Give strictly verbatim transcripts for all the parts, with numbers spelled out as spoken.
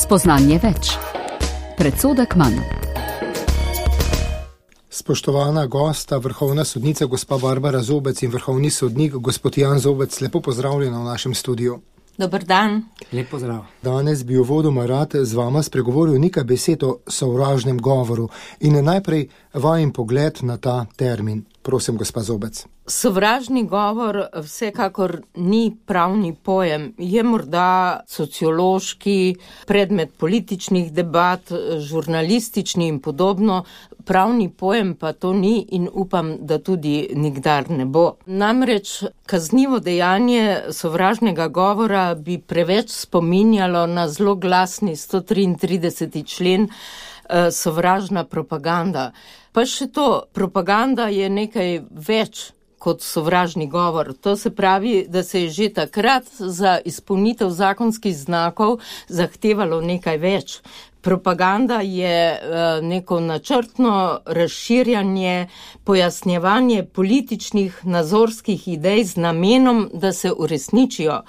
Spoznanje več. Predsodek manj. Spoštovana gosta, vrhovna sodnica gospa Barbara Zobec in vrhovni sodnik gospod Jan Zobec, lepo pozdravljena v našem studiu. Dober dan. Lep pozdrav. Danes bi uvodoma rad z vama spregovoril nekaj besed o sovražnem govoru in najprej vajin pogled na ta termin. Prosim, gospa Zobec. Sovražni govor vsekakor ni pravni pojem. Je morda sociološki, predmet političnih debat, žurnalistični in podobno. Pravni pojem pa to ni in upam, da tudi nikdar ne bo. Namreč kaznivo dejanje sovražnega govora bi preveč spominjalo na zloglasni sto triintrideseti člen eh, sovražna propaganda. Pa še to, propaganda je nekaj več kot sovražni govor. To se pravi, da se je že takrat za izpolnitev zakonskih znakov zahtevalo nekaj več. Propaganda je neko načrtno razširjanje, pojasnjevanje političnih, nazorskih idej z namenom, da se uresničijo.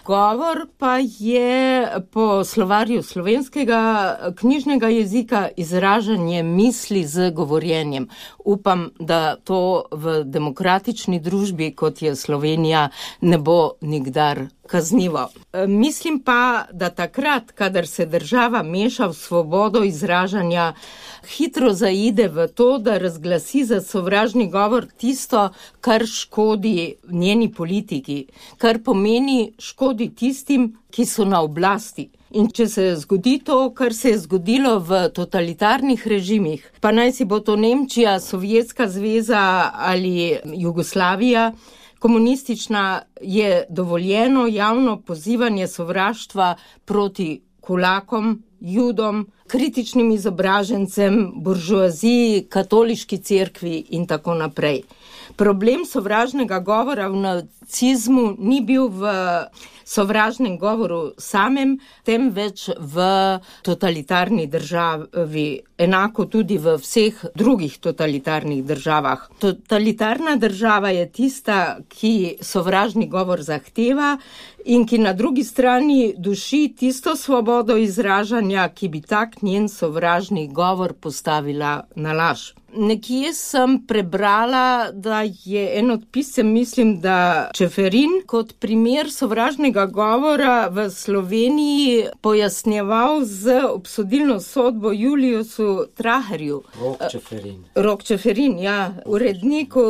Govor pa je po slovarju slovenskega knjižnega jezika izražanje misli z govorjenjem. Upam, da to v demokratični družbi, kot je Slovenija, ne bo nikdar kaznivo. Mislim pa, da takrat, kadar se država meša v svobodo izražanja, hitro zaide v to, da razglasi za sovražni govor tisto, kar škodi njeni politiki, kar pomeni škodi tistim, ki so na oblasti. In če se zgodi to, kar se je zgodilo v totalitarnih režimih, pa naj si bo to Nemčija, Sovjetska zveza ali Jugoslavija, komunistična, je dovoljeno javno pozivanje sovraštva proti kulakom, judom, kritičnim izobražencem, buržoaziji, katoliški cerkvi in tako naprej. Problem sovražnega govora v nacizmu ni bil v sovražnem govoru samem, temveč v totalitarni državi, enako tudi v vseh drugih totalitarnih državah. Totalitarna država je tista, ki sovražni govor zahteva in ki na drugi strani duši tisto svobodo izražanja, ki bi tak njen sovražni govor postavila na laž. Nekje sem prebrala, da je en od pisem, mislim, da Čeferin, kot primer sovražnega govora v Sloveniji pojasnjeval z obsodilno sodbo Juliusu Traherju. Rok Čeferin. Rok Čeferin, ja, uredniku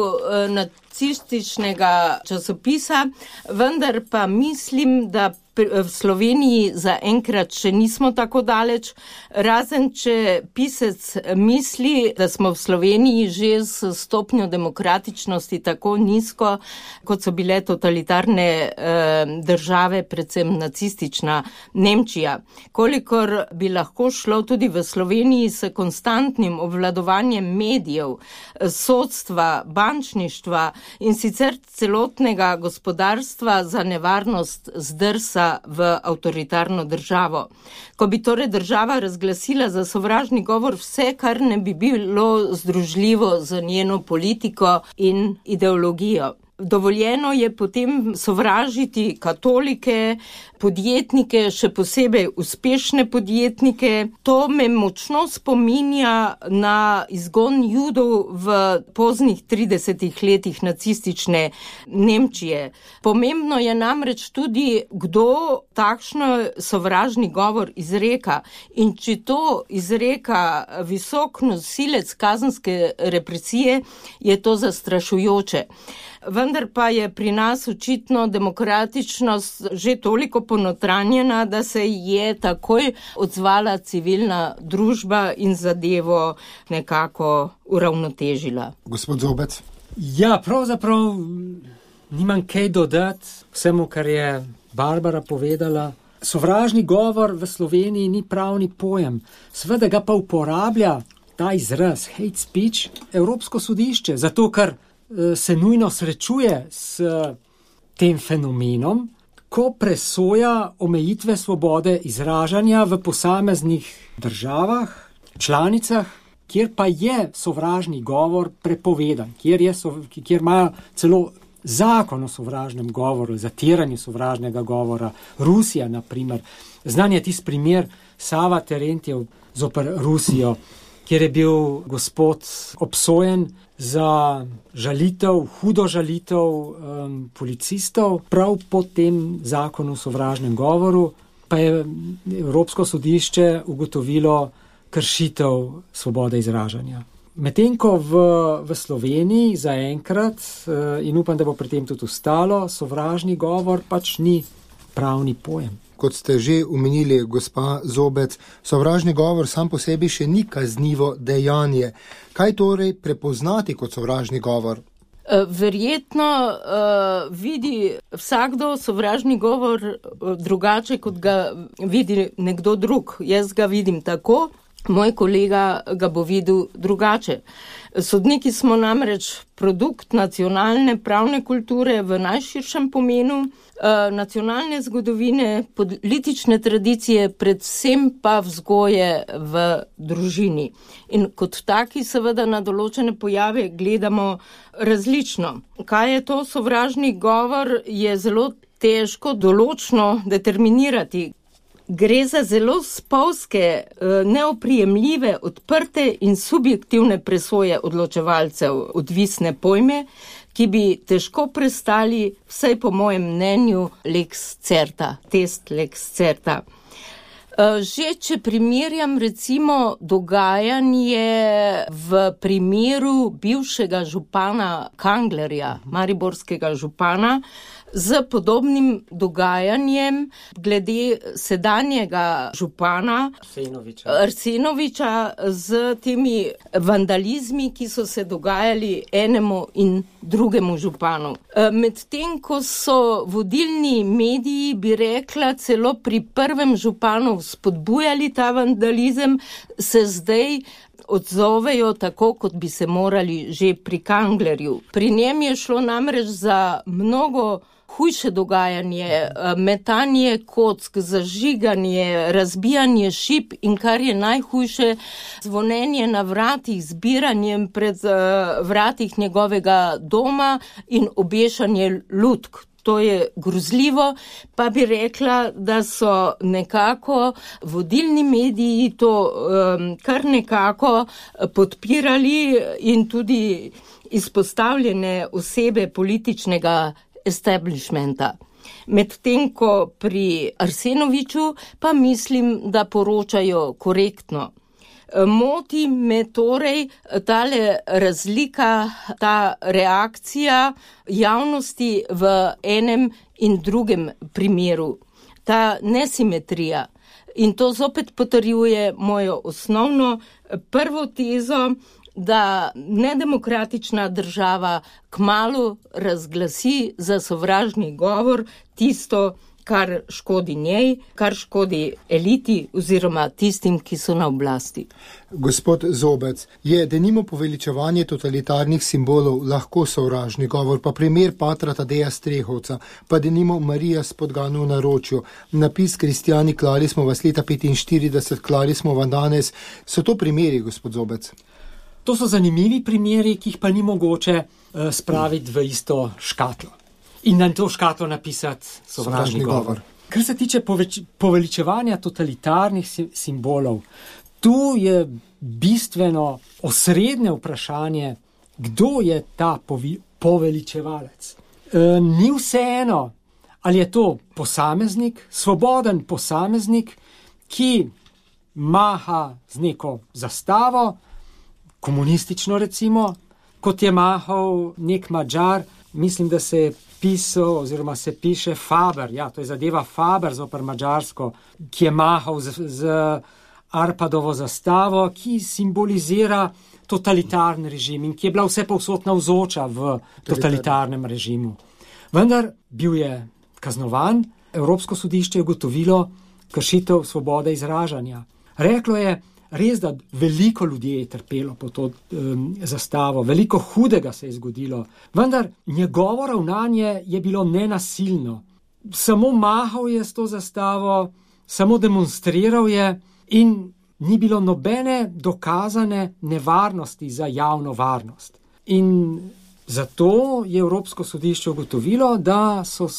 nacističnega časopisa, vendar pa mislim, da v Sloveniji zaenkrat še nismo tako daleč, razen če pisec misli, da smo v Sloveniji že s stopnjo demokratičnosti tako nizko, kot so bile totalitarne eh, države, predvsem nacistična Nemčija. Kolikor bi lahko šlo tudi v Sloveniji s konstantnim obvladovanjem medijev, sodstva, bančništva in sicer celotnega gospodarstva za nevarnost zdrsa v avtoritarno državo. Ko bi torej država razglasila za sovražni govor vse, kar ne bi bilo združljivo z njeno politiko in ideologijo. Dovoljeno je potem sovražiti katolike, podjetnike, še posebej uspešne podjetnike. To me močno spominja na izgon Judov v poznih tridesetih letih nacistične Nemčije. Pomembno je namreč tudi, kdo takšno sovražni govor izreka. In če to izreka visok nosilec kazenske represije, je to zastrašujoče. Vendar pa je pri nas očitno demokratičnost že toliko ponotranjena, da se je takoj odzvala civilna družba in zadevo nekako uravnotežila. Gospod Zobec. Ja, pravzaprav nimam kaj dodati vsemu, kar je Barbara povedala. Sovražni govor v Sloveniji ni pravni pojem. Seveda ga pa uporablja ta izraz hate speech Evropsko sodišče, zato ker se nujno srečuje s tem fenomenom, ko presoja omejitve svobode izražanja v posameznih državah, članicah, kjer pa je sovražni govor prepovedan, kjer, je, kjer imajo celo zakon o sovražnem govoru, zatiranju sovražnega govora, Rusija, na primer. Znan je tisti primer Sava Terentjev zoper Rusijo, kjer je bil gospod obsojen za žalitev, hudo žalitev um, policistov, prav po tem zakonu o sovražnem govoru, pa je Evropsko sodišče ugotovilo kršitev svobode izražanja. Medtem ko v, v Sloveniji zaenkrat, in upam, da bo pri tem tudi ostalo, sovražni govor pač ni pravni pojem. Kot ste že omenili, gospa Zobec, sovražni govor sam po sebi še ni kaznivo dejanje. Kaj torej prepoznati kot sovražni govor? Verjetno uh, vidi vsakdo sovražni govor drugače, kot ga vidi nekdo drug. Jaz ga vidim tako, moj kolega ga bo videl drugače. Sodniki smo namreč produkt nacionalne pravne kulture v najširšem pomenu, nacionalne zgodovine, politične tradicije, predvsem pa vzgoje v družini. In kot taki seveda na določene pojave gledamo različno. Kaj je to sovražni govor, je zelo težko določno determinirati. Gre za zelo spolzke, neoprijemljive, odprte in subjektivne presoje odločevalcev, odvisne pojme, ki bi težko prestali, vsaj po mojem mnenju, lex certa, test lex certa. Že če primerjam recimo dogajanje v primeru bivšega župana Kanglerja, mariborskega župana, z podobnim dogajanjem glede sedanjega župana Arsenoviča. Arsenoviča z temi vandalizmi, ki so se dogajali enemu in drugemu županu. Medtem ko so vodilni mediji, bi rekla, celo pri prvem županu spodbujali ta vandalizem, se zdaj odzovejo tako, kot bi se morali že pri Kanglerju. Pri njem je šlo namreč za mnogo hujše dogajanje, metanje kock, zažiganje, razbijanje šip in kar je najhujše, zvonenje na vratih, zbiranjem pred vratih njegovega doma in obešanje lutk. To je grozljivo, pa bi rekla, da so nekako vodilni mediji to um, kar nekako podpirali in tudi izpostavljene osebe političnega establishmenta. Medtem ko pri Arsenoviču pa mislim, da poročajo korektno. Moti me torej tale razlika, ta reakcija javnosti v enem in drugem primeru, ta nesimetrija. In to zopet potrjuje mojo osnovno prvo tezo, da nedemokratična država kmalu razglasi za sovražni govor tisto, kar škodi njej, kar škodi eliti oziroma tistim, ki so na oblasti. Gospod Zobec, je denimo poveličevanje totalitarnih simbolov lahko sovražni govor, pa primer patra Tadeja Strehovca, pa denimo Marija s Podgano v naročju, napis Kristjani, klali smo vas leta petinštirideset, klali smo vam danes. So to primeri, gospod Zobec? To so zanimivi primeri, ki jih pa ni mogoče uh, spraviti v isto škatlo. In na to škatlo napisati sovražni govor. Kar se tiče poveč, poveličevanja totalitarnih simbolov, tu je bistveno osrednje vprašanje, kdo je ta povi, poveličevalec. E, ni vseeno, ali je to posameznik, svoboden posameznik, ki maha z neko zastavo, komunistično recimo, kot je mahal nek Madžar, mislim, da se je pisal oziroma se piše Faber, ja, to je zadeva Faber zoper Madžarsko, ki je mahal z, z Arpadovo zastavo, ki simbolizira totalitarni režim in ki je bila vse povsod navzoča v totalitarnem režimu. Vendar bil je kaznovan, Evropsko sodišče je ugotovilo kršitev svobode izražanja. Reklo je, res, da veliko ljudi je trpelo po to um, zastavo, veliko hudega se je zgodilo, vendar njegovo ravnanje je bilo nenasilno. Samo mahal je s to zastavo, samo demonstriral je in ni bilo nobene dokazane nevarnosti za javno varnost. In Zato je Evropsko sodišče ugotovilo, da so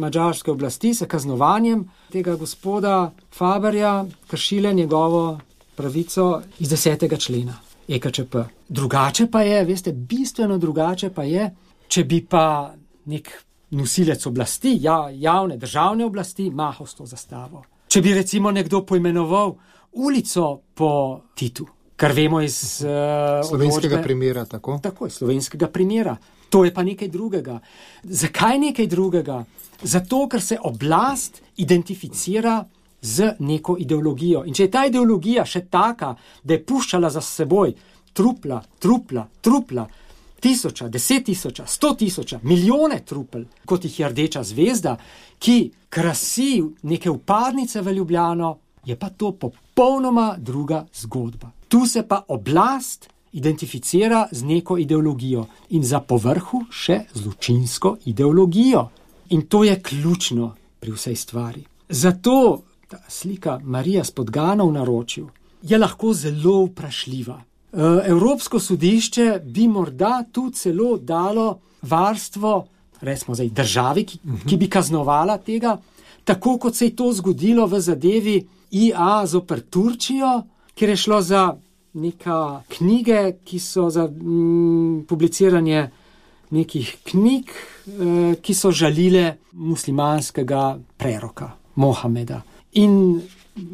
madžarske oblasti s kaznovanjem tega gospoda Faberja kršile njegovo pravico iz desetega člena E K Č P. Drugače pa je, veste, bistveno drugače pa je, če bi pa nek nosilec oblasti, ja, javne državne oblasti, mahal s to zastavo. Če bi recimo nekdo poimenoval ulico po Titu, kar vemo iz uh, slovenskega odločbe, primera, tako? Tako je, slovenskega primera. To je pa nekaj drugega. Zakaj nekaj drugega? Zato, ker se oblast identificira z neko ideologijo. In če je ta ideologija še taka, da je puščala za seboj trupla, trupla, trupla, tisoča, deset tisoča, sto tisoča, milijone trupel, kot jih je Rdeča zvezda, ki krasi neke vpadnice v Ljubljano, je pa to popolnoma druga zgodba. Tu se pa oblast identificira z neko ideologijo in za povrhu še zločinsko ideologijo. In to je ključno pri vsej stvari. Zato ta slika Marija s podgano v naročju je lahko zelo vprašljiva. Evropsko sodišče bi morda tu celo dalo varstvo, recimo zdaj državi, ki, ki bi kaznovala tega, tako kot se je to zgodilo v zadevi I A zoper Turčijo, kjer je šlo za neka knjige, ki so za mm, publiciranje nekih knjig, eh, ki so žalile muslimanskega preroka Mohameda. In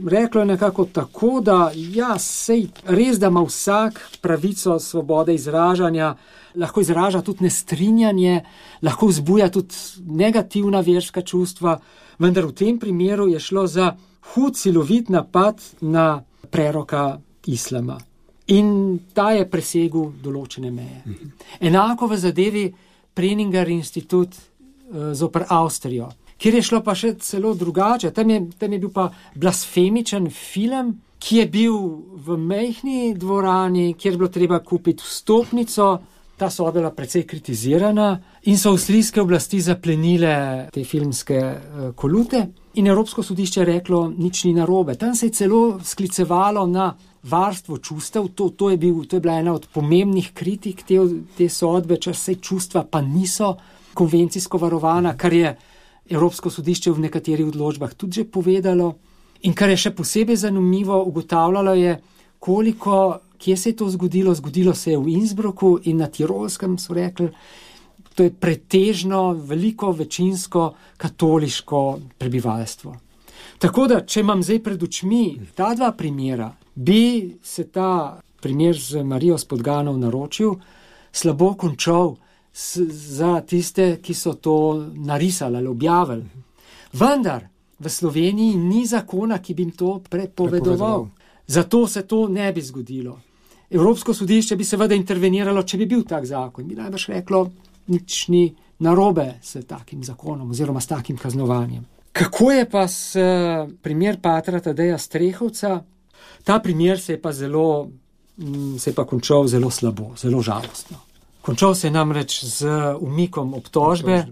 reklo je nekako tako, da ja, sej res, da ima vsak pravico svobode izražanja, lahko izraža tudi nestrinjanje, lahko vzbuja tudi negativna verska čustva, vendar v tem primeru je šlo za hud silovit napad na preroka islama. In ta je presegel določene meje. Mhm. Enako v zadevi Preninger institut uh, zoper Avstrijo, kjer je šlo pa še celo drugače. Tam je, tam je bil pa blasfemičen film, ki je bil v majhni dvorani, kjer je bilo treba kupiti vstopnico. Ta sodba je bila precej kritizirana in so avstrijske oblasti zaplenile te filmske uh, kolute. In Evropsko sodišče je reklo, nič ni narobe. Tam se je celo sklicevalo na varstvo čustev. To, to, je bil, to je bila ena od pomembnih kritik te, te sodbe, če se čustva pa niso konvencijsko varovana, kar je Evropsko sodišče v nekaterih odločbah tudi že povedalo. In kar je še posebej zanimivo, ugotavljalo je, koliko, kje se je to zgodilo. Zgodilo se je v Innsbrucku in na Tirolskem, so rekli. To je pretežno, veliko, večinsko katoliško prebivalstvo. Tako da, če imam zdaj pred očmi ta dva primera, bi se ta primer z Marijo s podgano v naročju slabo končal s, za tiste, ki so to narisali ali objavili. Vendar v Sloveniji ni zakona, ki bi jim to prepovedoval. Zato se to ne bi zgodilo. Evropsko sodišče bi seveda interveniralo, če bi bil tak zakon. Bi najbrž reklo, nič ni narobe s takim zakonom oziroma s takim kaznovanjem. Kako je pa s primer patra Tadeja Strehovca? Ta primer se je pa zelo, se je pa končal zelo slabo, zelo žalostno. Končal se je namreč z umikom obtožbe,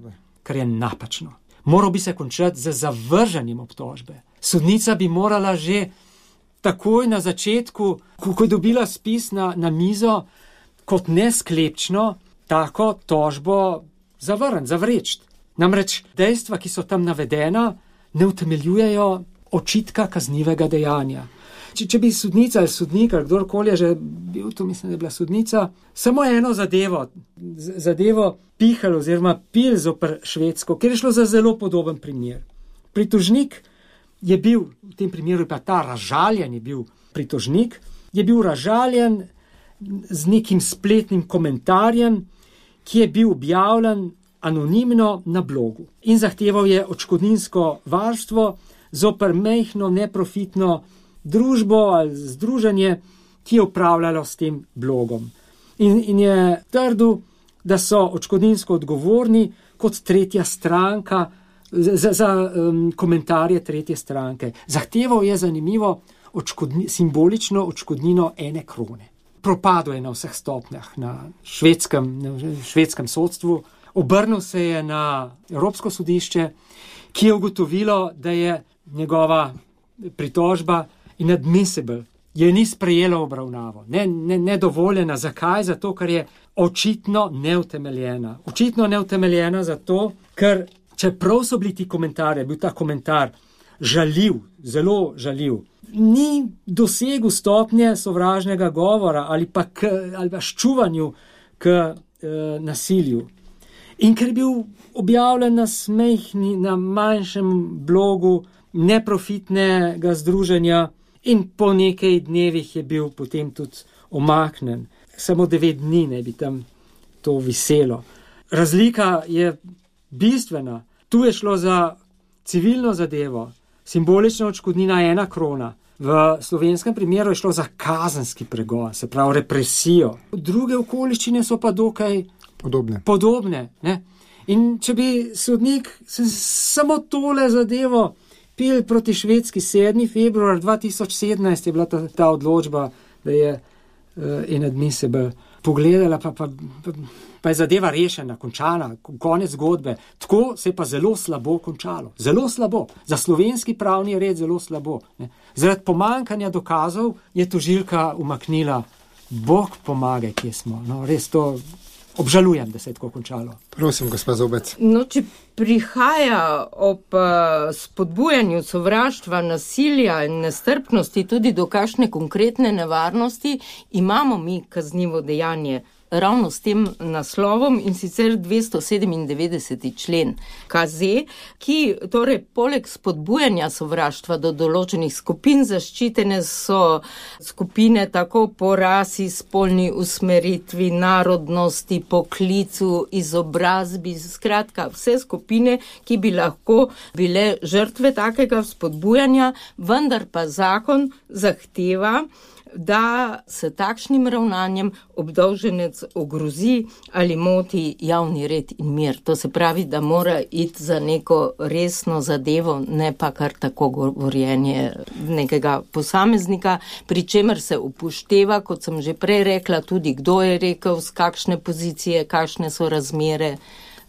kar je napačno. Moral bi se končati z zavrženjem obtožbe. Sodnica bi morala že takoj na začetku, ko je dobila spis na, na mizo, kot nesklepčno, tako tožbo zavrniti, zavreči. Namreč dejstva, ki so tam navedena, ne utemeljujejo očitka kaznivega dejanja. Če, če bi sodnica ali sodnik ali kdorkoli je že bil, to mislim, da je bila sodnica, samo eno zadevo, zadevo pihal oziroma pil zoper Švedsko, ker je šlo za zelo podoben primer. Pritožnik je bil, v tem primeru pa ta razžaljen je bil pritožnik, je bil razžaljen z nekim spletnim komentarjem, ki je bil objavljen anonimno na blogu in zahteval je odškodninsko varstvo zoper majhno neprofitno družbo ali združenje, ki je upravljalo s tem blogom. In, in je trdil, da so odškodninsko odgovorni kot tretja stranka za, za um, komentarje tretje stranke. Zahteval je zanimivo odškodni, simbolično odškodnino ene krone. Propadlo je na vseh stopnjah na švedskem, na švedskem sodstvu. Obrnil se je na Evropsko sodišče, ki je ugotovilo, da je njegova pritožba inadmissible, je ni sprejelo obravnavo, ne, ne, nedovoljena. Zakaj? Zato, ker je očitno neutemeljena. Očitno neutemeljena zato, ker čeprav so bili ti komentarji, bil ta komentar žaljiv, zelo žaljiv, ni dosegel stopnje sovražnega govora ali pa, k, ali pa ščuvanju k e, nasilju. In ker je bil objavljen na smehni, na manjšem blogu neprofitnega združenja in po nekaj dnevih je bil potem tudi omaknen. Samo devet dni ne bi tam to viselo. Razlika je bistvena. Tu je šlo za civilno zadevo, simbolična odškodnina ena krona. V slovenskem primeru je šlo za kazenski pregon, se pravi represijo. Druge okoliščine so pa dokaj podobne. podobne ne? In če bi sodnik samo tole zadevo pil proti Švedski sedmi februar dva tisoč sedemnajst je bila ta, ta odločba, da je uh, inadmissible. Pogledala pa, pa, pa, pa je zadeva rešena, končana, konec zgodbe. Tako se je pa zelo slabo končalo. Zelo slabo. Za slovenski pravni red zelo slabo. Ne. Zaradi pomankanja dokazov je tožilka umaknila. Bog pomagaj, kje smo. No, res to obžalujem, da se je tako končalo. Prosim, gospa Zobec. No, če prihaja ob uh, spodbujanju sovraštva, nasilja in nestrpnosti tudi do kakšne konkretne nevarnosti, imamo mi kaznivo dejanje ravno s tem naslovom, in sicer dvesto sedemindevetdeseti člen K Z, ki torej poleg spodbujanja sovraštva do določenih skupin zaščitene so skupine tako po rasi, spolni usmeritvi, narodnosti, poklicu, izobrazbi, skratka vse skupine, ki bi lahko bile žrtve takega spodbujanja, vendar pa zakon zahteva, da se takšnim ravnanjem obdolženec ogrozi ali moti javni red in mir. To se pravi, da mora iti za neko resno zadevo, ne pa kar tako govorjenje nekega posameznika, pri čemer se upošteva, kot sem že prej rekla, tudi kdo je rekel, z kakšne pozicije, kakšne so razmere.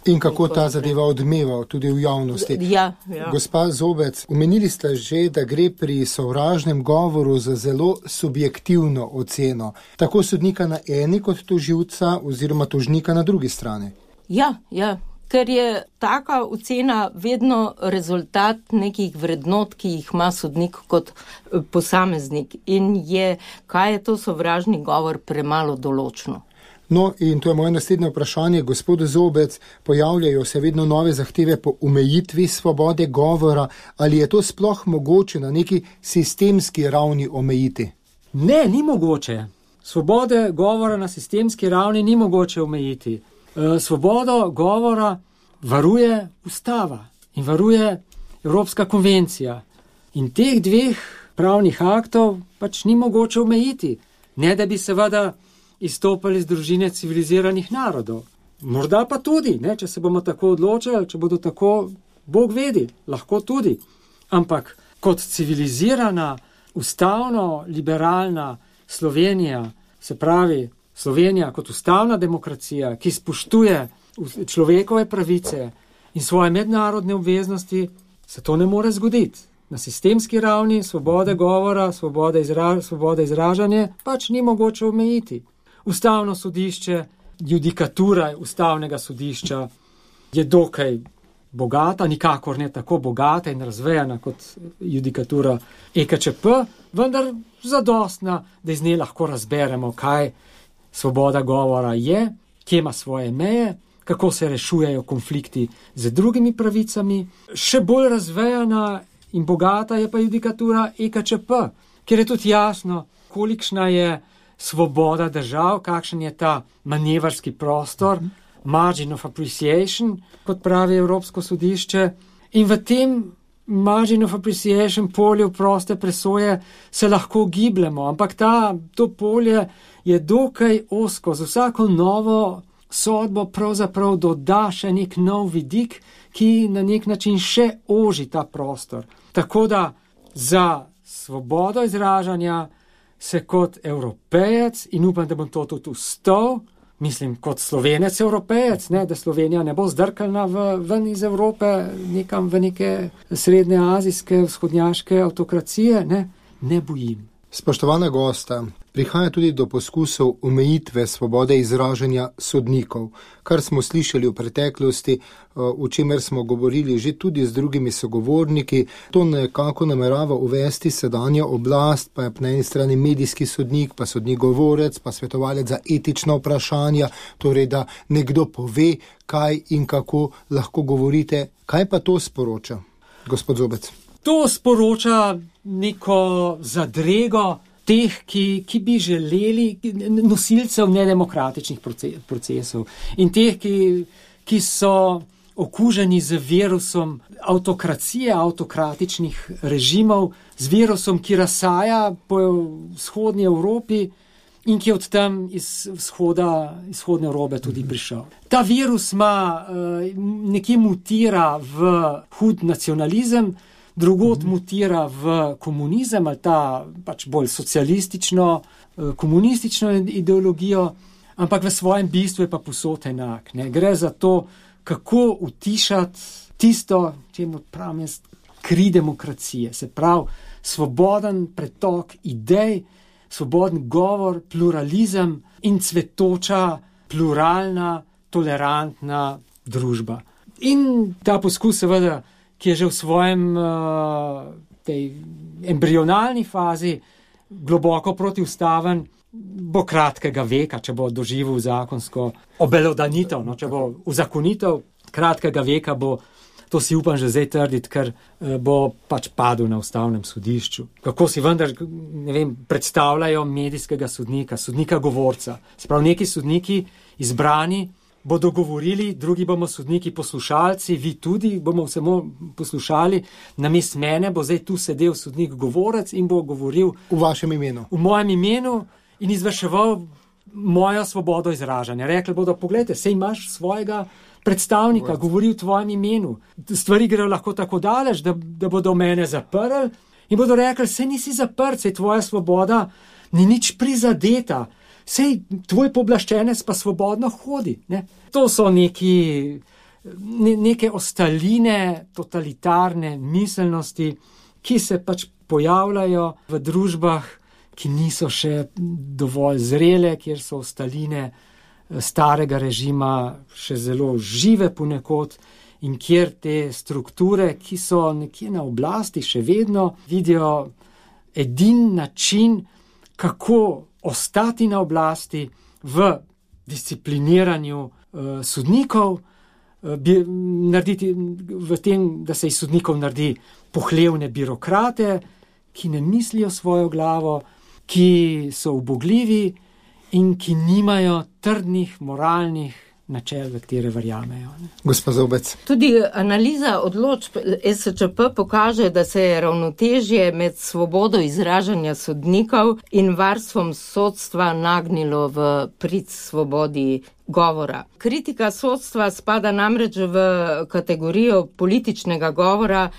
In kako ta zadeva odmeva tudi v javnosti. Ja, ja. Gospa Zobec, omenili ste že, da gre pri sovražnem govoru za zelo subjektivno oceno, tako sodnika na eni kot tožilca oziroma tožnika na drugi strani. Ja, ja, ker je taka ocena vedno rezultat nekih vrednot, ki jih ima sodnik kot posameznik, in je, kaj je to sovražni govor, premalo določno. No, in to je moje naslednje vprašanje, gospod Zobec, pojavljajo se vedno nove zahteve po omejitvi svobode govora, ali je to sploh mogoče na neki sistemski ravni omejiti? Ne, ni mogoče. Svobode govora na sistemski ravni ni mogoče omejiti. Svobodo govora varuje ustava in varuje Evropska konvencija. In teh dveh pravnih aktov pač ni mogoče omejiti. Ne, da bi seveda izstopali iz družine civiliziranih narodov. Morda pa tudi, ne, če se bomo tako odločili, če bodo tako, Bog vedi, lahko tudi. Ampak kot civilizirana, ustavno, liberalna Slovenija, se pravi Slovenija kot ustavna demokracija, ki spoštuje človekove pravice in svoje mednarodne obveznosti, se to ne more zgoditi. Na sistemski ravni svobode govora, svobode, izra, svobode izražanja pač ni mogoče omejiti. Ustavno sodišče, judikatura ustavnega sodišča je dokaj bogata, nikakor ne tako bogata in razvejana kot judikatura E K Č P, vendar zadostna, da iz nje lahko razberemo, kaj svoboda govora je, kje ima svoje meje, kako se rešujejo konflikti z drugimi pravicami. Še bolj razvejana in bogata je pa judikatura E K Č P, kjer je tudi jasno, kolikšna je svoboda držav, kakšen je ta manevrski prostor, margin of appreciation, kot pravi Evropsko sodišče. In v tem margin of appreciation polju proste presoje se lahko gibljemo, ampak ta, to polje je dokaj ozko. Z vsako novo sodbo pravzaprav doda še nek nov vidik, ki na nek način še oži ta prostor. Tako da za svobodo izražanja se kot Evropejec, in upam, da bom to tudi ustal, mislim, kot Slovenec Evropejec, ne, da Slovenija ne bo zdrkalna v, ven iz Evrope, nekam v neke srednjeazijske, vzhodnjaške avtokracije, ne, ne bojim. Spoštovana gosta, prihaja tudi do poskusov omejitve svobode izražanja sodnikov, kar smo slišali v preteklosti, o čemer smo govorili že tudi z drugimi sogovorniki. To nekako namerava uvesti sedanja oblast, pa je na eni strani medijski sodnik, pa sodnik govorec, pa svetovalec za etična vprašanja, torej da nekdo pove, kaj in kako lahko govorite. Kaj pa to sporoča, gospod Zobec? To sporoča neko zadrego teh, ki, ki bi želeli, nosilcev nedemokratičnih procesov in teh, ki, ki so okuženi z virusom avtokracije, avtokratičnih režimov, z virusom, ki razsaja po vzhodni Evropi in ki od tam iz vzhoda, izhodne Evrope tudi prišel. Ta virus ima, nekje mutira v hud nacionalizem, drugod mm-hmm. mutira v komunizem ali ta pač bolj socialistično, komunistično ideologijo, ampak v svojem bistvu je pa povsod enak. Ne? Gre za to, kako utišati tisto, čemu pravim jaz, kri demokracije. Se pravi, svoboden pretok idej, svoboden govor, pluralizem in cvetoča, pluralna, tolerantna družba. In ta poskus seveda, ki je že v svojem uh, tej embrionalni fazi globoko protiustaven, bo kratkega veka, če bo doživel zakonsko obelodanitev, no, če bo uzakonitev kratkega veka, bo, to si upam že zdaj trditi, ker uh, bo pač padel na ustavnem sodišču. Kako si vendar, ne vem, predstavljajo medijskega sodnika, sodnika govorca. Se pravi, neki sodniki izbrani bodo govorili, drugi bomo sodniki poslušalci, vi tudi bomo samo poslušali, namesto mene bo zdaj tu sedel sodnik govorec in bo govoril v vašem imenu. V mojem imenu in izvrševal mojo svobodo izražanja. Rekli bodo, pogledajte, sej imaš svojega predstavnika, Vod. govori v tvojem imenu. Stvari grejo lahko tako daleč, da, da bodo mene zaprli in bodo rekli, sej nisi zaprt, sej tvoja svoboda ni nič prizadeta. Sej tvoj pooblaščenec pa svobodno hodi. Ne? To so neki, ne, neke ostaline totalitarne miselnosti, ki se pač pojavljajo v družbah, ki niso še dovolj zrele, kjer so ostaline starega režima še zelo žive ponekod in kjer te strukture, ki so nekje na oblasti še vedno, vidijo edin način, kako ostati na oblasti v discipliniranju uh, sodnikov, uh, bi, narediti v tem, da se iz sodnikov naredi pohlevne birokrate, ki ne mislijo svojo glavo, ki so ubogljivi in ki nimajo trdnih moralnih načel, v katere verjamejo. Gospa Zobec. Tudi analiza odločb es če pe pokaže, da se je ravnotežje med svobodo izražanja sodnikov in varstvom sodstva nagnilo v prid svobodi govora. Kritika sodstva spada namreč v kategorijo političnega govora,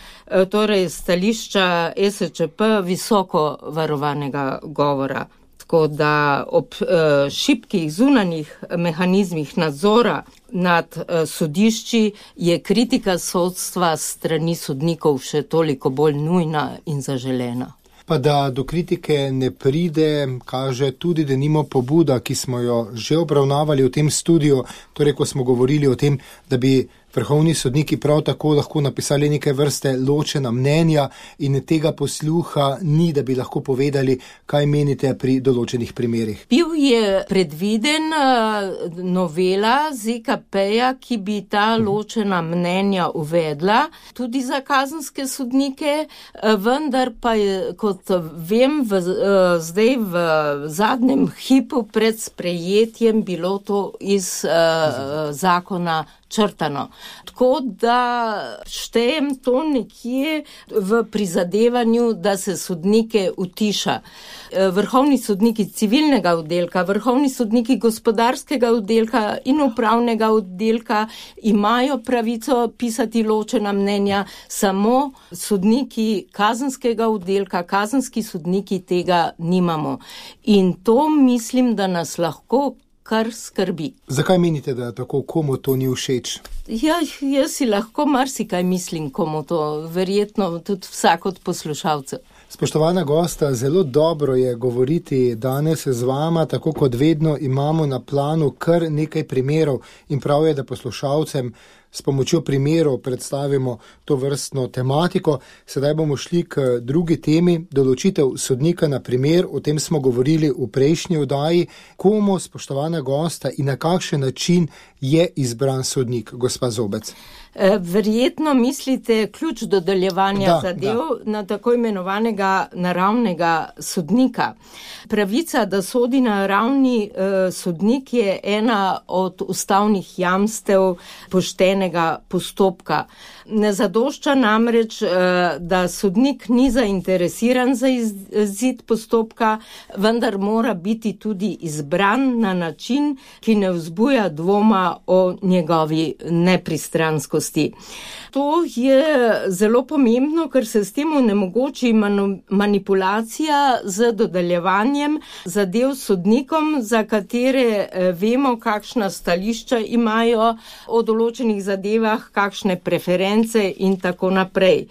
torej stališča es če pe visoko varovanega govora. Tako da ob uh, šibkih zunanjih mehanizmih nadzora nad uh, sodišči je kritika sodstva strani sodnikov še toliko bolj nujna in zaželena. Pa da do kritike ne pride, kaže tudi denimo pobuda, ki smo jo že obravnavali v tem studiu, torej ko smo govorili o tem, da bi vrhovni sodniki prav tako lahko napisali neke vrste ločena mnenja in tega posluha ni, da bi lahko povedali, kaj menite pri določenih primerih. Bil je predviden novela zet ka peja, ki bi ta ločena mnenja uvedla tudi za kazenske sodnike, vendar pa je, kot vem, v, zdaj v zadnjem hipu pred sprejetjem bilo to iz uh, zakona črtano. Tako da štejem to nekje v prizadevanju, da se sodnike utiša. Vrhovni sodniki civilnega oddelka, vrhovni sodniki gospodarskega oddelka in upravnega oddelka imajo pravico pisati ločena mnenja, samo sodniki kazenskega oddelka, kazenski sodniki tega nimamo. In to mislim, da nas lahko kar skrbi. Zakaj menite, da tako komu to ni všeč? Ja, jaz si lahko marsikaj mislim, komu to, verjetno tudi vsak od poslušalcev. Spoštovana gosta, zelo dobro je govoriti danes z vama, tako kot vedno imamo na planu kar nekaj primerov in prav je, da poslušalcem s pomočjo primerov predstavimo to vrstno tematiko. Sedaj bomo šli k drugi temi, določitev sodnika na primer. O tem smo govorili v prejšnji oddaji. Komu, spoštovana gosta, in na kakšen način je izbran sodnik, gospa Zobec? Verjetno mislite ključ dodeljevanja da, zadev da. na tako imenovanega naravnega sodnika. Pravica, da sodi naravni eh, sodnik, je ena od ustavnih jamstev poštenega postopka. Ne zadošča namreč, eh, da sodnik ni zainteresiran za izid postopka, vendar mora biti tudi izbran na način, ki ne vzbuja dvoma o njegovi nepristranskosti. To je zelo pomembno, ker se s tem onemogoči manipulacija z dodeljevanjem zadev sodnikom, za katere vemo, kakšna stališča imajo o določenih zadevah, kakšne preference in tako naprej.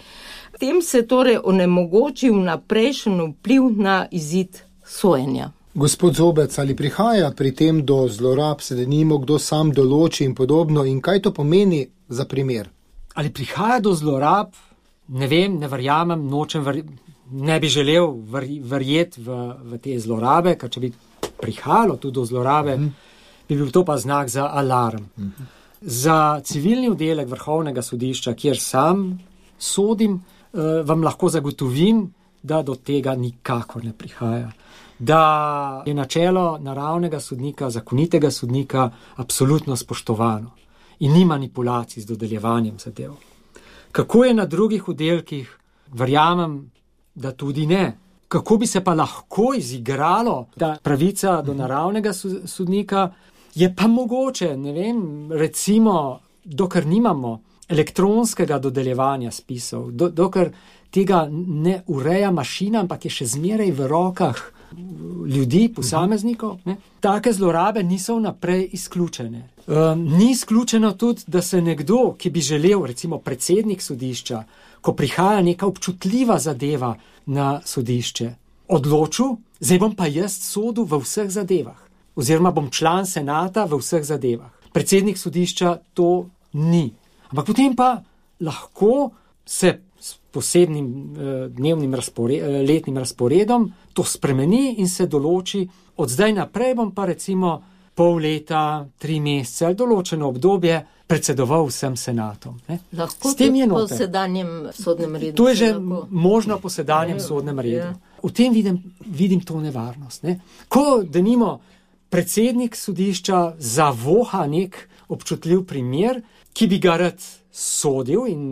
Tem se torej onemogoči vnaprejšen vpliv na izid sojenja. Gospod Zobec, ali prihaja pri tem do zlorab, se denimo, kdo sam določi in podobno, in kaj to pomeni za primer? Ali prihaja do zlorab? Ne vem, ne verjamem, nočem, ver... ne bi želel ver... verjeti v, v te zlorabe, ker če bi prihajalo tudi do zlorabe, mm. bi bil to pa znak za alarm. Mm. Za civilni oddelek Vrhovnega sodišča, kjer sam sodim, eh, vam lahko zagotovim, da do tega nikakor ne prihaja. Da je načelo naravnega sodnika, zakonitega sodnika absolutno spoštovano in ni manipulacij z dodeljevanjem zadev. Kako je na drugih oddelkih, verjamem, da tudi ne. Kako bi se pa lahko izigralo ta pravica do naravnega sodnika, je pa mogoče, ne vem, recimo, dokler nimamo elektronskega dodeljevanja spisov, do, dokler tega ne ureja mašina, ampak je še zmeraj v rokah ljudi, posameznikov, ne? Take zlorabe niso vnaprej izključene. Um, ni izključeno tudi, da se nekdo, ki bi želel, recimo predsednik sodišča, ko prihaja neka občutljiva zadeva na sodišče, odločil, zdaj bom pa jaz sodil v vseh zadevah, oziroma bom član senata v vseh zadevah. Predsednik sodišča to ni. Ampak potem pa lahko se s posebnim eh, dnevnim razpore, eh, letnim razporedom to spremeni in se določi, od zdaj naprej bom pa recimo pol leta, tri mesece ali določeno obdobje predsedoval vsem senatom. Ne? Lahko tudi po sedanjem sodnem redu. To je že lahko možno po sedanjem je, sodnem redu. Je. V tem vidim, vidim to nevarnost. Ne? Ko denimo predsednik sodišča zavoha nek občutljiv primer, ki bi ga rad sodil in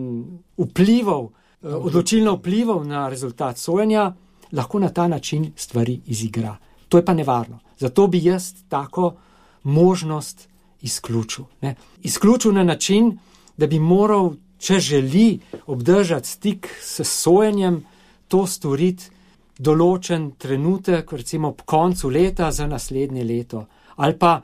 vplival, odločilno vplival na rezultat sojenja, lahko na ta način stvari izigra. To je pa nevarno. Zato bi jaz tako možnost izključil. Ne? Izključil na način, da bi moral, če želi obdržati stik s sojenjem, to storiti določen trenutek, recimo ob koncu leta za naslednje leto. Ali pa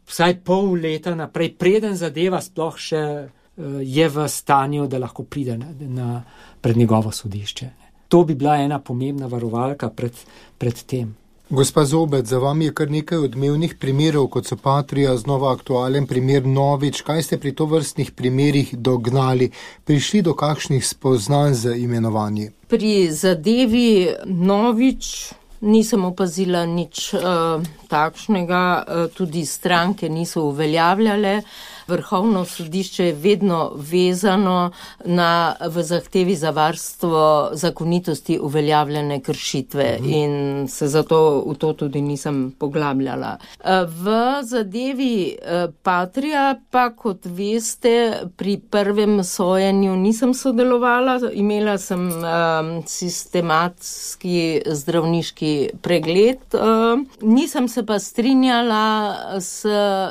vsaj pol leta naprej, preden zadeva sploh še uh, je v stanju, da lahko pride na, na, pred njegovo sodišče. To bi bila ena pomembna varovalka pred, pred tem. Gospa Zobec, za vami je kar nekaj odmevnih primerov, kot so Patria, znova aktualen primer Novič. Kaj ste pri tovrstnih primerih dognali? Prišli do kakšnih spoznanj z imenovanji? Pri zadevi Novič nisem opazila nič uh, takšnega, uh, tudi stranke niso uveljavljale. Vrhovno sodišče je vedno vezano na, v zahtevi za varstvo zakonitosti uveljavljene kršitve mhm. in se zato v to tudi nisem poglabljala. V zadevi Patria pa, kot veste, pri prvem sojenju nisem sodelovala, imela sem um, sistematski zdravniški pregled, um, nisem se pa strinjala s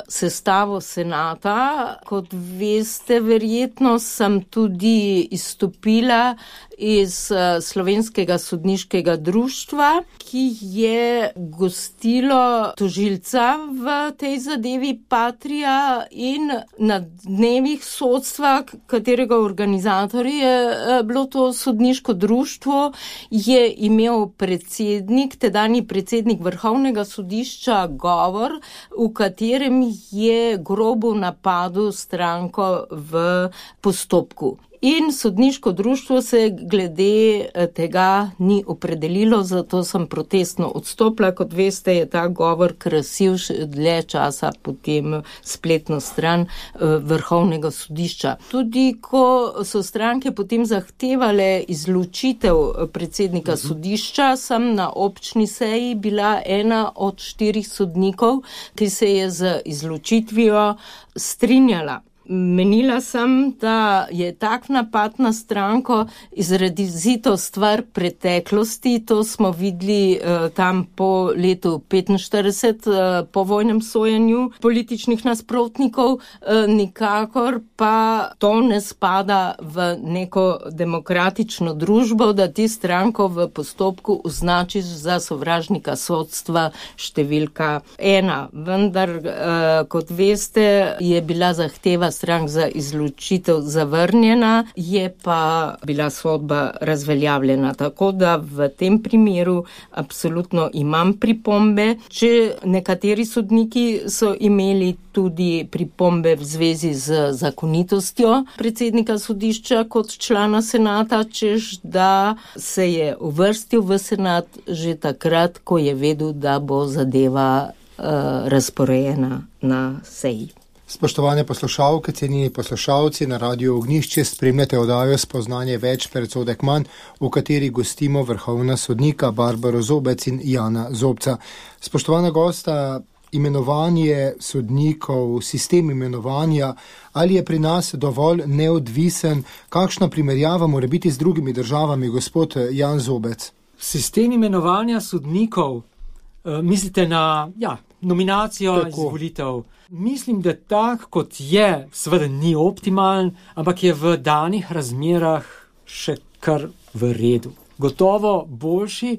sestavo senata, Ja, kot veste, verjetno sem tudi izstopila iz Slovenskega sodniškega društva, ki je gostilo tožilca v tej zadevi Patria, in na dnevih sodstva, katerega organizator je bilo to sodniško društvo, je imel predsednik, tedanji predsednik Vrhovnega sodišča govor, v katerem je grobo napadel stranko v postopku. In sodniško društvo se glede tega ni opredelilo, zato sem protestno odstopila. Kot veste, je ta govor krasil dlje časa potem spletno stran Vrhovnega sodišča. Tudi ko so stranke potem zahtevale izločitev predsednika sodišča, sem na občni seji bila ena od štirih sodnikov, ki se je z izločitvijo strinjala. Menila sem, da je tak napad na stranko izrazito stvar preteklosti. To smo videli eh, tam po letu petinštirideset, eh, po vojnem sojenju političnih nasprotnikov, eh, nikakor pa to ne spada v neko demokratično družbo, da ti stranko v postopku označiš za sovražnika sodstva številka ena. Vendar, eh, kot veste, je bila zahteva strank za izločitev zavrnjena, je pa bila sodba razveljavljena. Tako da v tem primeru absolutno imam pripombe. Če nekateri sodniki so imeli tudi pripombe v zvezi z zakonitostjo predsednika sodišča kot člana senata, češ da se je uvrstil v senat že takrat, ko je vedel, da bo zadeva uh, razporejena na seji. Spoštovane poslušalke, cenjeni poslušalci, na Radiu Ognjišče spremljate oddajo Spoznanje več, predsodek manj, v kateri gostimo vrhovna sodnika Barbaro Zobec in Jana Zobca. Spoštovana gosta, imenovanje sodnikov, sistem imenovanja, ali je pri nas dovolj neodvisen? Kakšna primerjava mora biti z drugimi državami, gospod Jan Zobec? Sistem imenovanja sodnikov, uh, mislite na ja, nominacijo, Tako. izvolitev? Mislim, da tak, kot je, seveda ni optimalen, ampak je v danih razmerah še kar v redu. Gotovo boljši,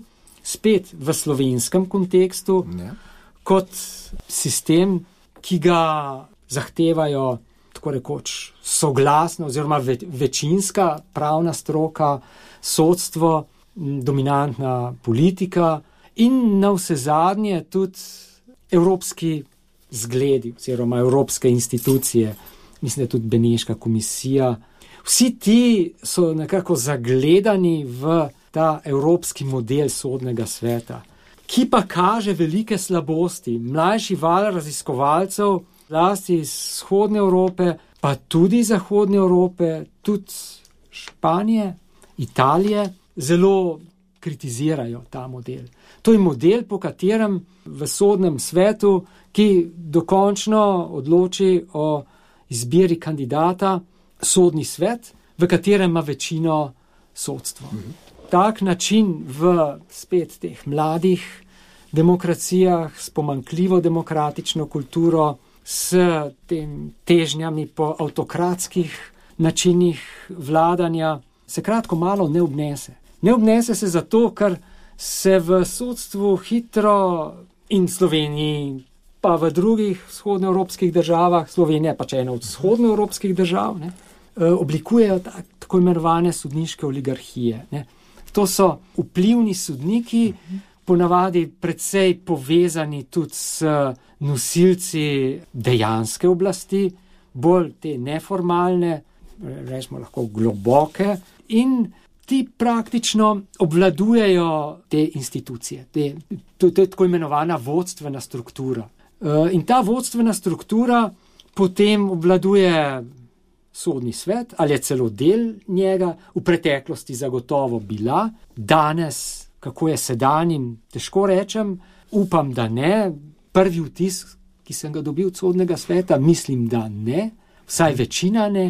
spet v slovenskem kontekstu, ne. kot sistem, ki ga zahtevajo tako rekoč soglasno oziroma ve, večinska pravna stroka, sodstvo, dominantna politika in navsezadnje tudi evropski zgledi oziroma evropske institucije, mislim, da je tudi Beneška komisija. Vsi ti so nekako zagledani v ta evropski model sodnega sveta, ki pa kaže velike slabosti. Mlajši val raziskovalcev, zlasti iz vzhodne Evrope, pa tudi zahodne Evrope, tudi Španije, Italije, zelo kritizirajo ta model. To je model, po katerem v sodnem svetu, ki dokončno odloči o izbiri kandidata, sodni svet, v katerem ima večino sodstvo. Mhm. Tak način v spet teh mladih demokracijah s pomanjkljivo demokratično kulturo, s tem težnjami po avtokratskih načinih vladanja, se kratko malo ne obnese. Ne obnese se zato, ker se v sodstvu hitro in Sloveniji, pa v drugih vzhodnoevropskih državah, Slovenija pa če ena od vzhodnoevropskih držav, ne, oblikujejo tak, tako imenovane sodniške oligarhije. Ne. To so vplivni sodniki, ponavadi precej povezani tudi s nosilci dejanske oblasti, bolj te neformalne, rečemo lahko globoke, in ti praktično obvladujejo te institucije, te, to, to je tako imenovana vodstvena struktura. In ta vodstvena struktura potem obvladuje sodni svet, ali je celo del njega, v preteklosti zagotovo bila, danes, kako je sedanjim, težko rečem, upam, da ne. Prvi vtis, ki sem ga dobil od sodnega sveta, mislim, da ne, vsaj večina ne,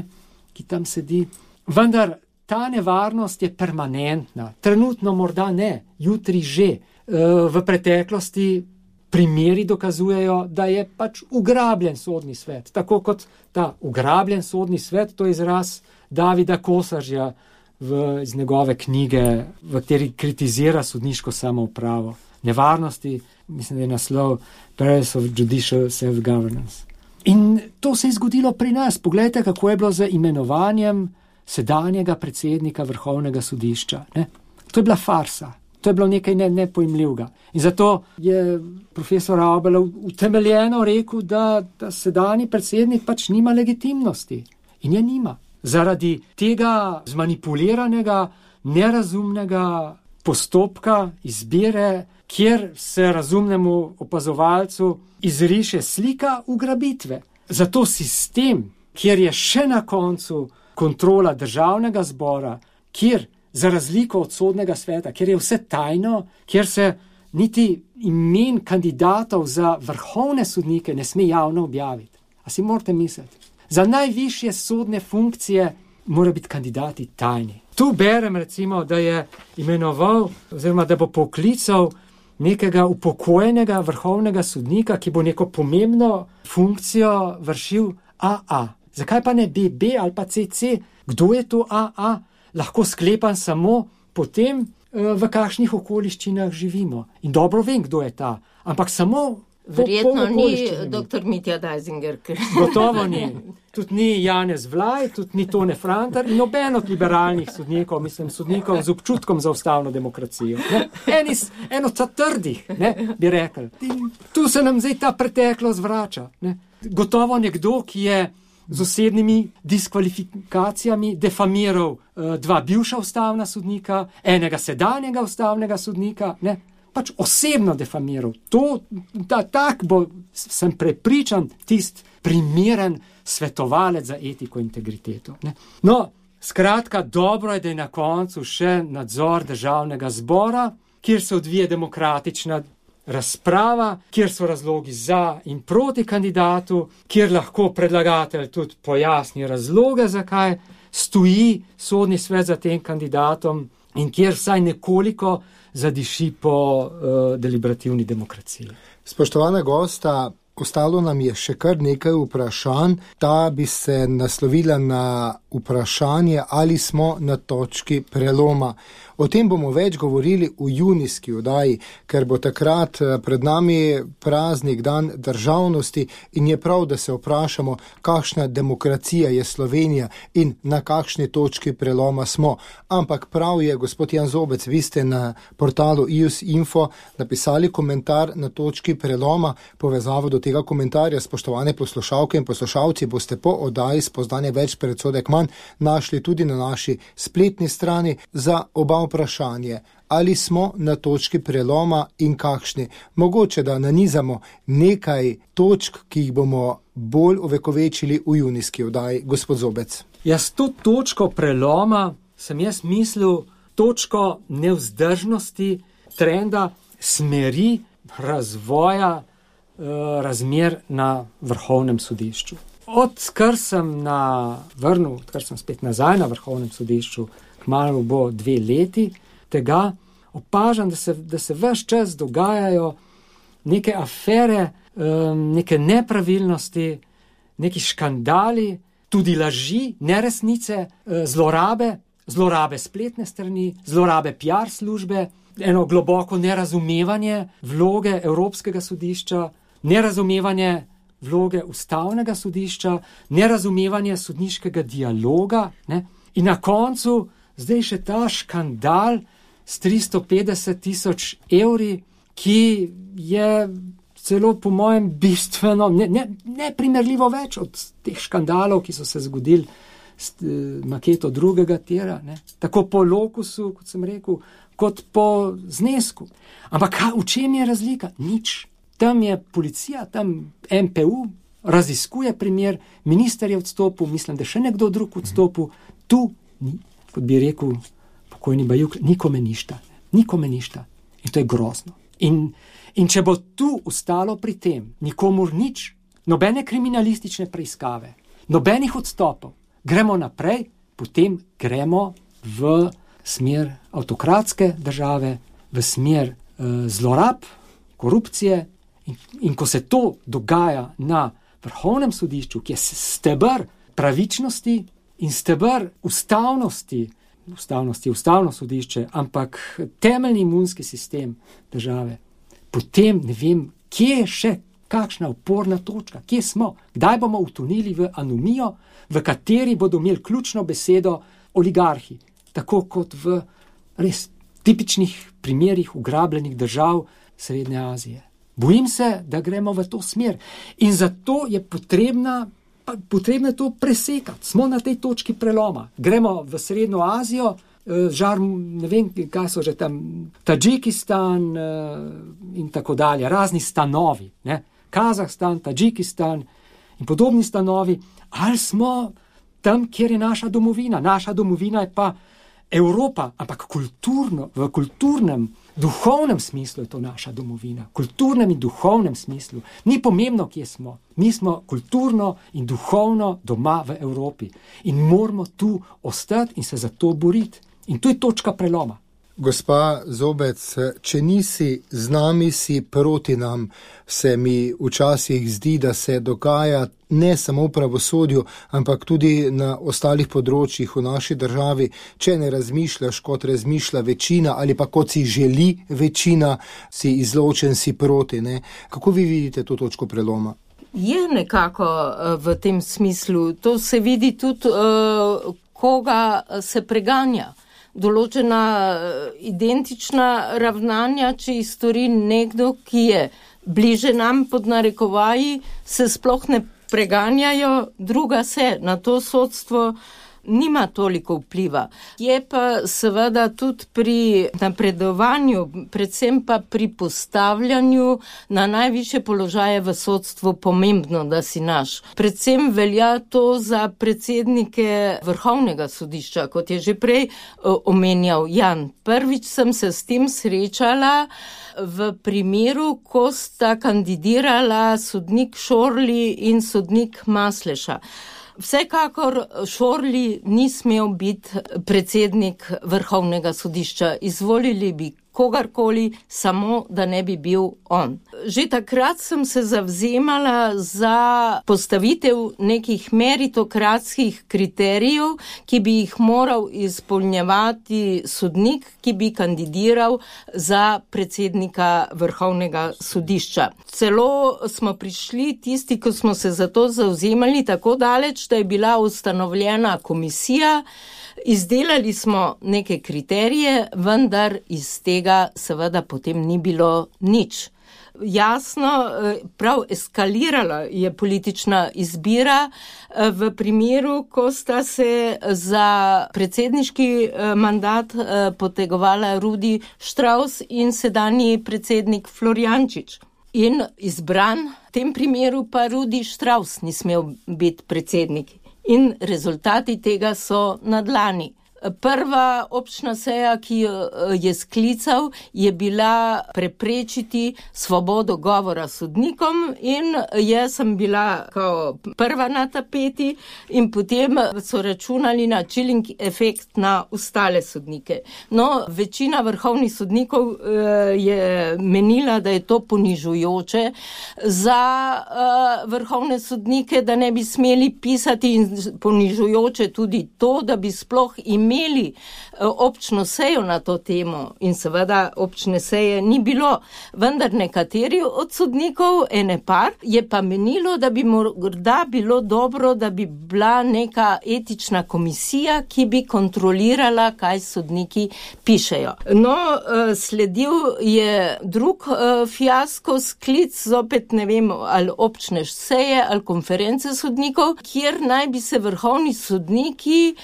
ki tam sedi. Vendar ta nevarnost je permanentna, trenutno morda ne, jutri že. V preteklosti primeri dokazujejo, da je pač ugrabljen sodni svet. Tako kot ta ugrabljen sodni svet, to je izraz Davida Kosažja v, iz njegove knjige, v kateri kritizira sodniško samoupravo. Nevarnosti, mislim, da je naslov Perils of Judicial Self-Governance. In to se je zgodilo pri nas. Poglejte, kako je bilo z imenovanjem sedanjega predsednika Vrhovnega sodišča. Ne? To je bila farsa. To je bilo nekaj ne, nepojmljivega. In zato je profesor Avbel utemeljeno rekel, da, da sedanji predsednik pač nima legitimnosti. In je nima. Zaradi tega zmanipuliranega, nerazumnega postopka izbire, kjer se razumnemu opazovalcu izriše slika ugrabitve. Zato sistem, kjer je še na koncu kontrola državnega zbora, kjer za razliko od sodnega sveta, kjer je vse tajno, kjer se niti imen kandidatov za vrhovne sodnike ne sme javno objaviti. A si morate misliti? Za najvišje sodne funkcije mora biti kandidati tajni. Tu berem recimo, da je imenoval oziroma da bo poklical nekega upokojenega vrhovnega sodnika, ki bo neko pomembno funkcijo vršil A A. Zakaj pa ne B B ali pa C C? Kdo je to A A? Lahko sklepam samo potem, v kakšnih okoliščinah živimo. In dobro vem, kdo je ta. Ampak samo verjetno ni doktor Mitja Dajzinger. Gotovo ni. Tudi ni Janez Vlaj, tudi ni Tone Frantar in noben od liberalnih sodnikov, mislim, sodnikov z občutkom za ustavno demokracijo. Ne? Enis, eno ta trdih, ne, bi rekel. In tu se nam zdaj ta preteklost vrača. Ne? Gotovo nekdo, ki je z osebnimi diskvalifikacijami defamiral uh, dva bivša ustavna sodnika, enega sedanjega ustavnega sodnika, ne? Pač osebno defamiral. To, da tak bo, sem prepričan, tist primeren svetovalec za etiko in integriteto. Ne? No, skratka, dobro je, da je na koncu še nadzor državnega zbora, kjer se odvije demokratična razprava, kjer so razlogi za in proti kandidatu, kjer lahko predlagatelj tudi pojasni razloge, zakaj stoji sodni svet za tem kandidatom in kjer vsaj nekoliko zadiši po uh, deliberativni demokraciji. Spoštovana gosta, ostalo nam je še kar nekaj vprašanj. Ta bi se naslovila na vprašanje, ali smo na točki preloma. O tem bomo več govorili v junijski oddaji, ker bo takrat pred nami praznik dan državnosti in je prav, da se vprašamo, kakšna demokracija je Slovenija in na kakšni točki preloma smo. Ampak prav je, gospod Jan Zobec, vi ste na portalu I U S Info napisali komentar na točki preloma. Povezavo do tega komentarja, spoštovane poslušalke in poslušalci, boste po oddaji Spoznanje več, predsodek manj našli tudi na naši spletni strani. Za oba vprašanje, ali smo na točki preloma in kakšni. Mogoče, da nanizamo nekaj točk, ki jih bomo bolj ovekovečili v junijski oddaji. Gospod Zobec. Jaz to točko preloma sem jaz mislil točko nevzdržnosti, trenda, smeri razvoja eh, razmer na Vrhovnem sodišču. Odkar sem na vrnil, odkar sem spet nazaj na Vrhovnem sodišču, kmalu bo dve leti, tega opažam, da se, da se ves čas dogajajo neke afere, neke nepravilnosti, neki škandali, tudi laži, neresnice, zlorabe, zlorabe spletne strani, zlorabe P R službe, eno globoko nerazumevanje vloge Evropskega sodišča, nerazumevanje vloge Ustavnega sodišča, nerazumevanje sodniškega dialoga, ne? In na koncu zdaj še ta škandal s tristo petdeset tisoč evri, ki je celo po mojem bistveno, ne, ne, ne primerljivo več od teh škandalov, ki so se zgodili s uh, maketo drugega tira, ne? Tako po lokusu, kot sem rekel, kot po znesku. Ampak v čem je razlika? Nič. Tam je policija, tam M P U raziskuje primer, minister je odstopil, mislim, da še nekdo drug odstopil, tu ni, kot bi rekel pokojni Bajuk, nikome ništa. Nikome ništa. In to je grozno. In, in če bo tu ostalo pri tem, nikomur nič, nobene kriminalistične preiskave, nobenih odstopov, gremo naprej, potem gremo v smer avtokratske države, v smer uh, zlorab, korupcije In, in ko se to dogaja na Vrhovnem sodišču, ki je steber pravičnosti in steber ustavnosti, ustavnosti je ustavno sodišče, ampak temeljni imunski sistem države, potem ne vem, kje je še kakšna oporna točka, kje smo, kdaj bomo utonili v anomijo, v kateri bodo imeli ključno besedo oligarhi, tako kot v res tipičnih primerih ugrabljenih držav Srednje Azije. Bojim se, da gremo v to smer in zato je potrebna, potrebno to presekati. Smo na tej točki preloma. Gremo v Srednjo Azijo, žar, ne vem, kaj so že tam, Tadžikistan in tako dalje, razni stanovi, ne? Kazahstan, Tadžikistan in podobni stanovi, ali smo tam, kjer je naša domovina. Naša domovina je pa Evropa, ampak kulturno, v kulturnem, duhovnem smislu je to naša domovina. Kulturnem in duhovnem smislu. Ni pomembno, kje smo. Mi smo kulturno in duhovno doma v Evropi. In moramo tu ostati in se za to boriti. In tu je točka preloma. Gospa Zobec, če nisi z nami, si proti nam, se mi včasih zdi, da se dogaja ne samo v pravosodju, ampak tudi na ostalih področjih v naši državi. Če ne razmišljaš, kot razmišlja večina, ali pa kot si želi večina, si izločen, si proti. Ne? Kako vi vidite to točko preloma? Je nekako v tem smislu. To se vidi tudi, koga se preganja. Določena identična ravnanja, če jih stori nekdo, ki je bliže nam pod narekovaji, se sploh ne preganjajo, druga se na to sodstvo nima toliko vpliva. Je pa seveda tudi pri napredovanju, predvsem pa pri postavljanju na najvišje položaje v sodstvu pomembno, da si naš. Predvsem velja to za predsednike Vrhovnega sodišča, kot je že prej omenjal Jan. Prvič sem se s tem srečala v primeru, ko sta kandidirala sodnik Šorli in sodnik Masleša. Vsekakor Šorli ni smel biti predsednik Vrhovnega sodišča. Izvolili bi kogarkoli, samo da ne bi bil on. Že takrat sem se zavzemala za postavitev nekih meritokratskih kriterijev, ki bi jih moral izpolnjevati sodnik, ki bi kandidiral za predsednika Vrhovnega sodišča. Celo smo prišli tisti, ko smo se za to zavzemali, tako daleč, da je bila ustanovljena komisija. Izdelali smo neke kriterije, vendar iz tega seveda potem ni bilo nič. Jasno, prav eskalirala je politična izbira v primeru, ko sta se za predsedniški mandat potegovala Rudi Štravs in sedanji predsednik Florjančič. In izbran, v tem primeru pa Rudi Štravs ni smel biti predsednik. In rezultati tega so na dlani. Prva občna seja, ki jo je sklical, je bila preprečiti svobodo govora sodnikom in jaz sem bila kao prva na tapeti in potem so računali na chilling efekt na ostale sodnike. No, večina vrhovnih sodnikov je menila, da je to ponižujoče za vrhovne sodnike, da ne bi smeli pisati in ponižujoče tudi to, da bi sploh imeli imeli občno sejo na to temo in seveda občne seje ni bilo. Vendar nekateri od sodnikov, ene par, je pa menilo, da bi morda bilo dobro, da bi bila neka etična komisija, ki bi kontrolirala, kaj sodniki pišejo. No, sledil je drug fiasko, sklic, zopet ne vem, ali občne seje, ali konference sodnikov, kjer naj bi se vrhovni sodniki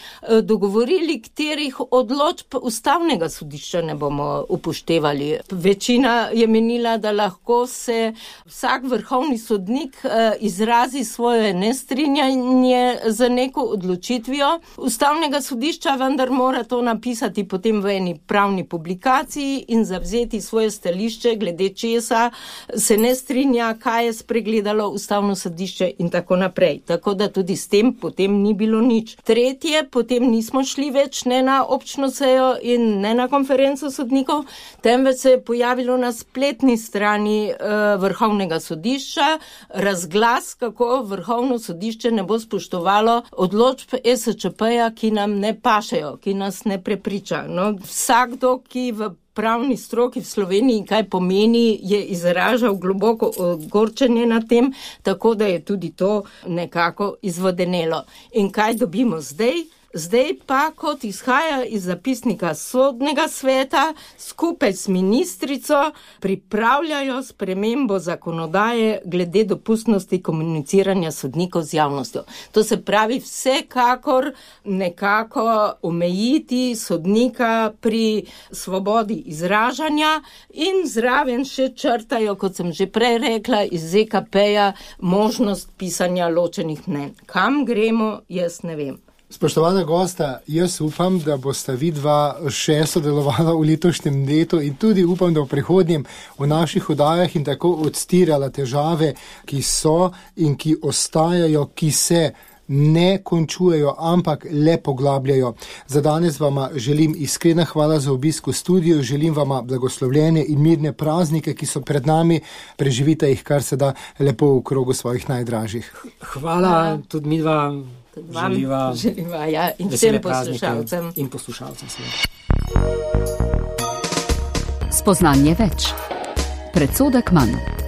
dogovorili, katerih odločb ustavnega sodišča ne bomo upoštevali. Večina je menila, da lahko se vsak vrhovni sodnik izrazi svoje nestrinjanje z neko odločitvijo ustavnega sodišča, vendar mora to napisati potem v eni pravni publikaciji in zavzeti svoje stališče, glede česa se ne strinja, kaj je spregledalo ustavno sodišče in tako naprej. Tako da tudi s tem potem ni bilo nič. Tretje, potem nismo šli več več ne na občno sejo in ne na konferenco sodnikov, temveč se je pojavilo na spletni strani uh, Vrhovnega sodišča razglas, kako Vrhovno sodišče ne bo spoštovalo odločb E S Č P-ja, ki nam ne pašejo, ki nas ne prepriča. No, vsakdo, ki v pravni stroki v Sloveniji kaj pomeni, je izražal globoko ogorčenje na tem, tako da je tudi to nekako izvodenelo. In kaj dobimo zdaj? Zdaj pa, kot izhaja iz zapisnika sodnega sveta, skupaj s ministrico pripravljajo spremembo zakonodaje glede dopustnosti komuniciranja sodnikov z javnostjo. To se pravi vsekakor nekako omejiti sodnika pri svobodi izražanja in zraven še črtajo, kot sem že prej rekla, iz Z K P-ja možnost pisanja ločenih mnenj. Kam gremo, jaz ne vem. Spoštovana gosta, jaz upam, da bosta vidva še sodelovala v letošnjem letu in tudi upam, da v prihodnjem v naših oddajah in tako odstirala težave, ki so in ki ostajajo, ki se ne končujejo, ampak le poglabljajo. Za danes vama želim iskrena hvala za obisk v studiu, želim vama blagoslovljene in mirne praznike, ki so pred nami, preživite jih kar se da lepo v krogu svojih najdražjih. Hvala, tudi mi dva želiva, želiva ja, in vsem poslušalcem. In poslušalcem. Spoznanje več. Predsodek manj.